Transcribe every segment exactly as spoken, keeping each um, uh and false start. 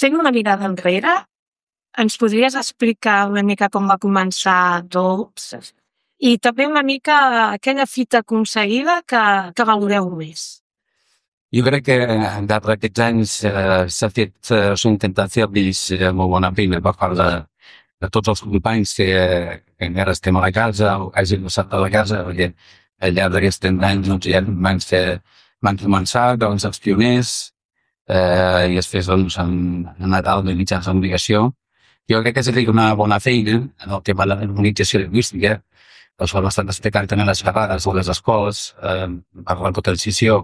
fent una mirada enrere, ens podries explicar una mica com va començar tot? I també una mica aquella fita aconseguida que, que valoreu més. Jo crec que al llarg d'aquests anys eh, s'ha fet, eh, s'ha intentat fer eh, molt bona feina per part de, de tots els companys que, que encara estem a la casa o que hagin passat a la casa, perquè al llarg d'aquests trenta anys doncs, ja van, fer, van començar doncs, els pioners eh, i després doncs, han, han anat a les mitjans de comunicació. Jo crec que s'ha fet una bona feina en el tema de la normalització lingüística. Doncs ho hem estat explicant també a les xerrades a les escoles, eh, per la potenciació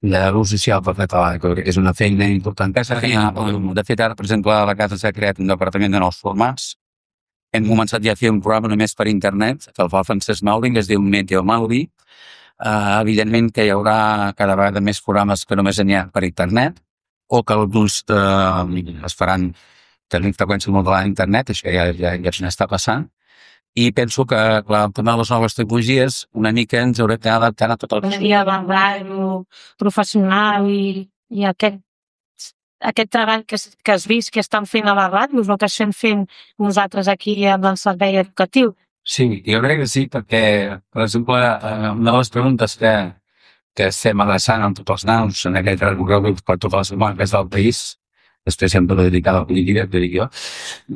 de l'ús social per català, que és una feina important. De fet, ara, per exemple, a la casa s'ha creat un departament de nous formats. Hem començat ja a fer un programa només per internet, que el fa el Francesc Mauri, que es diu Meteo Mauri. Uh, evidentment que hi haurà cada vegada més programes que només n'hi ha per internet, o que alguns uh, es faran tenint freqüència molt de l'internet, això ja, ja, ja s'està passant. I penso que, clar, amb totes les noves tecnologies, una mica ens haurem d'adaptar a tot el... I a la ràdio professional i, i aquest, aquest treball que, que has vist que estan fent a la ràdio, el que estem fent nosaltres aquí amb el servei educatiu. Sí, jo crec que sí, perquè, per exemple, una de les preguntes que, que estem adreçant amb tots els nanos en aquest recorregut per totes les marques del país, després sempre dedicada a la política, que dic jo,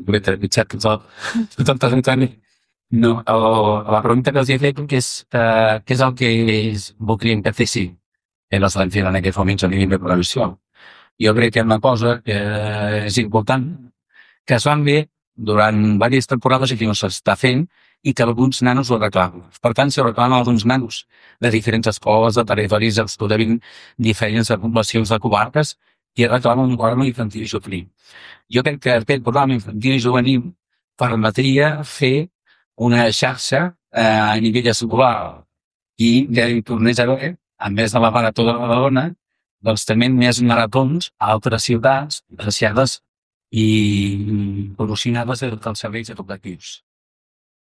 perquè t'he mitjat tot el territori. No, el, la pregunta que els he fet és uh, què és el que voldrien que fessin en els estan fent en aquests moments a nivell de prevenció. Jo crec que és una cosa que és important, que es van bé durant diverses temporades i que no s'està fent i que alguns nanos ho reclamen. Per tant, se reclamen alguns nanos de diferents escoles, de territoris absolutament diferents, de poblacions, de comarques, i reclamen un programa infantil i juvenil. Jo crec que aquest programa infantil i juvenil permetria fer una xarxa eh, a nivell escolar i que hi tornés a haver, a més de la marató de Badalona, doncs també més maratons a altres ciutats associades i promocionades dels serveis educatius.